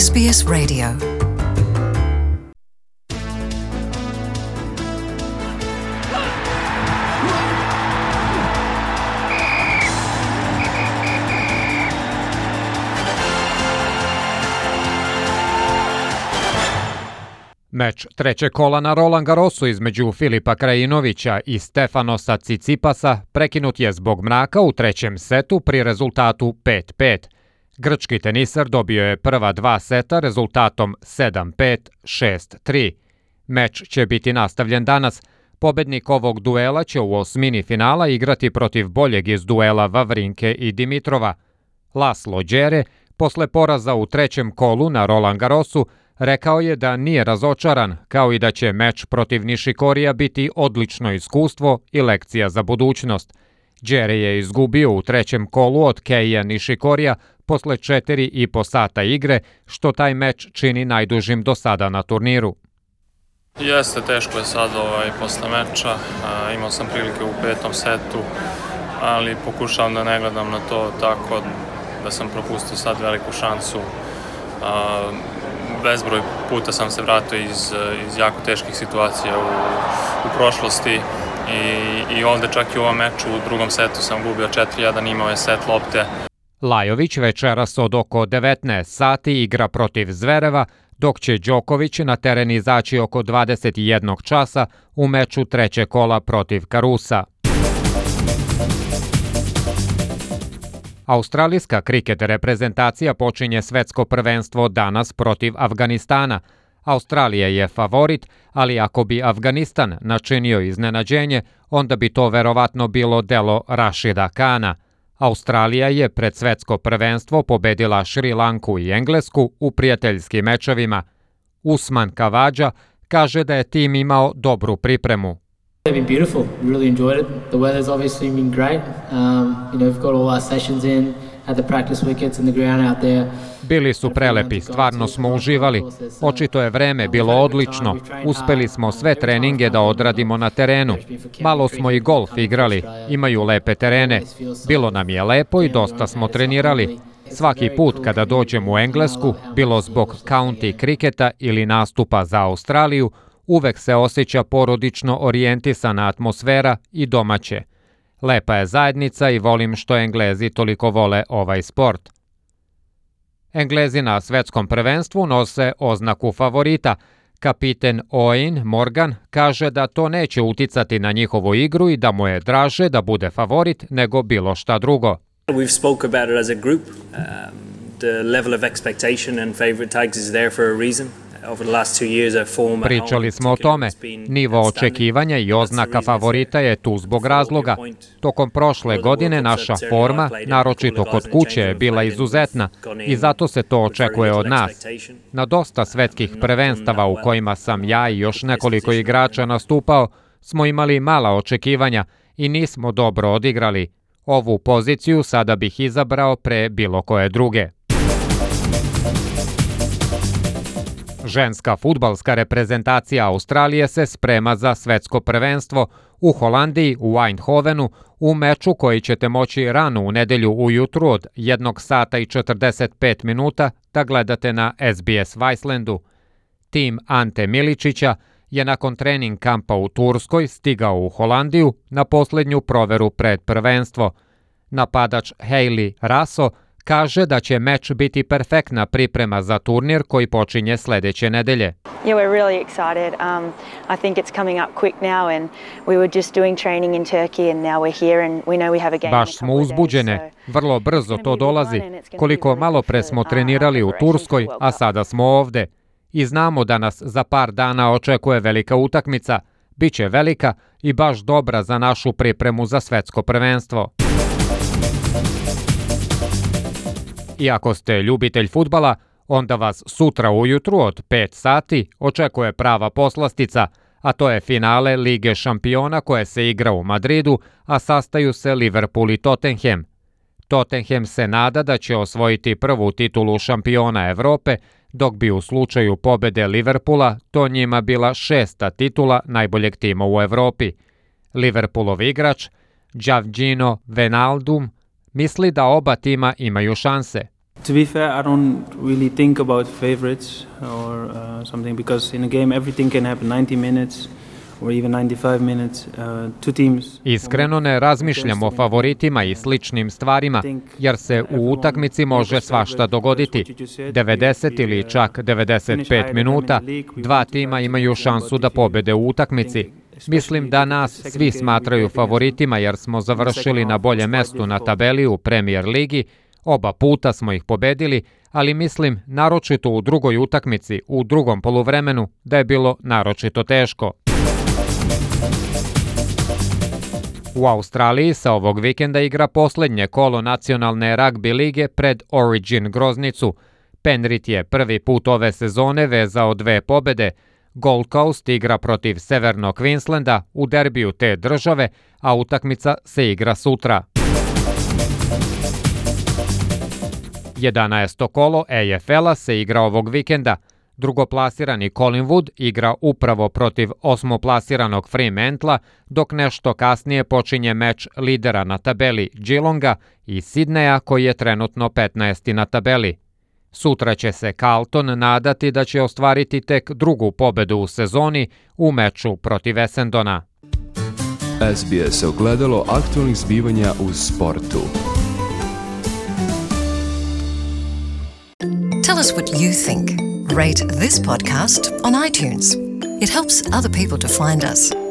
SBS Radio. Meč trećeg kola na Roland Garrosu između Filipa Krajinovića i Stefanosa Tsitsipasa prekinut je zbog mraka u trećem setu pri rezultatu 5-5. Grčki tenisar dobio je prva dva seta rezultatom 7-5, 6-3. Meč će biti nastavljen danas. Pobednik ovog duela će u osmini finala igrati protiv boljeg iz duela Vavrinke i Dimitrova. Laslo Đere, posle poraza u trećem kolu na Roland Garrosu, rekao je da nije razočaran, kao i da će meč protiv Nishikorija biti odlično iskustvo i lekcija za budućnost. Đere je izgubio u trećem kolu od Keija Nishikorija posle 4,5 sata igre, što taj meč čini najdužim do sada na turniru. Jeste, teško je sad posle meča. Imao sam prilike u petom setu, ali pokušavam da ne gledam na to tako da sam propustio sad veliku šansu. Bezbroj puta sam se vratio iz jako teških situacija u prošlosti i ovde čak i u ovom meču u drugom setu sam gubio 4-1, imao je set lopte. Lajović večeras od oko 19 sati igra protiv Zvereva, dok će Đoković na teren izaći oko 21 časa u meču trećeg kola protiv Karusa. Australijska kriket reprezentacija počinje svetsko prvenstvo danas protiv Afganistana. Australija je favorit, ali ako bi Afganistan načinio iznenađenje, onda bi to verovatno bilo delo Rašida Kana. Australija je pred svetsko prvenstvo pobedila Šri Lanku i Englesku u prijateljskim mečevima. Usman Kavađa kaže da je tim imao dobru pripremu. They've been beautiful. We really enjoyed it. The weather's obviously been great. We've got all our sessions in, had the practice wickets and the ground out there. Bili su prelepi, stvarno smo uživali. Očito je vreme bilo odlično. Uspeli smo sve treninge da odradimo na terenu. Malo smo i golf igrali. Imaju lepe terene. Bilo nam je lepo i dosta smo trenirali. Svaki put kada dođem u Englesku, bilo zbog county kriketa ili nastupa za Australiju, uvek se osjeća porodično orijentisana atmosfera i domaće. Lepa je zajednica i volim što Englezi toliko vole ovaj sport. Englezi na svetskom prvenstvu nose oznaku favorita. Kapiten Owen Morgan kaže da to neće uticati na njihovu igru i da mu je draže da bude favorit nego bilo šta drugo. We've spoke about it as a group. The level of expectation and favorite tags is there for a reason. Pričali smo o tome. Nivo očekivanja i oznaka favorita je tu zbog razloga. Tokom prošle godine naša forma, naročito kod kuće, je bila izuzetna i zato se to očekuje od nas. Na dosta svetskih prvenstava u kojima sam ja i još nekoliko igrača nastupao, smo imali mala očekivanja i nismo dobro odigrali. Ovu poziciju sada bih izabrao pre bilo koje druge. Ženska fudbalska reprezentacija Australije se sprema za svetsko prvenstvo u Holandiji, u Eindhovenu, u meču koji ćete moći rano u nedelju ujutru od 1 sata i 45 minuta da gledate na SBS Vicelandu. Tim Ante Miličića je nakon trening kampa u Turskoj stigao u Holandiju na posljednju proveru pred prvenstvo. Napadač Hayley Raso kaže da će meč biti perfektna priprema za turnir koji počinje sledeće nedelje. Yeah, we're really excited. I think it's coming up quick now and we were just doing training in Turkey and now we're here and we know we have a game. Baš smo uzbuđene. Vrlo brzo to dolazi. Koliko malo pre smo trenirali u Turskoj, a sada smo ovde. I znamo da nas za par dana očekuje velika utakmica. Biće velika i baš dobra za našu pripremu za svetsko prvenstvo. I ako ste ljubitelj fudbala, onda vas sutra ujutru od 5 sati očekuje prava poslastica, a to je finale Lige šampiona koje se igra u Madridu, a sastaju se Liverpool i Tottenham. Tottenham se nada da će osvojiti prvu titulu šampiona Evrope, dok bi u slučaju pobede Liverpoola to njima bila 6. titula najboljeg tima u Evropi. Liverpoolov igrač, Giorgino Wijnaldum, misli da oba tima imaju šanse. To be fair, I don't really think about favorites or something because in a game everything can happen 90 minutes or even 95 minutes. Two teams. Iskreno ne razmišljam o favoritima i sličnim stvarima, jer se u utakmici može svašta dogoditi. 90 ili čak 95 minuta, dva tima imaju šansu da pobede u utakmici. Mislim da nas svi smatraju favoritima jer smo završili na boljem mestu na tabeli u Premier ligi, oba puta smo ih pobedili, ali mislim naročito u drugoj utakmici, u drugom poluvremenu, da je bilo naročito teško. U Australiji sa ovog vikenda igra posljednje kolo nacionalne ragbi lige pred Origin Groznicu. Penrith je prvi put ove sezone vezao 2 pobede. Gold Coast igra protiv Severnog Queenslanda u derbiju te države, a utakmica se igra sutra. 11. kolo AFL-a se igra ovog vikenda. Drugoplasirani Collingwood igra upravo protiv osmoplasiranog Fremantla, dok nešto kasnije počinje meč lidera na tabeli Geelonga i Sydneya koji je trenutno 15. na tabeli. Sutra će se Carlton nadati da će ostvariti tek drugu pobedu u sezoni u meču protiv Essendona. SBS ogledalo aktualnih zbivanja u sportu. Tell us what you think. Rate this podcast on iTunes. It helps other people to find us.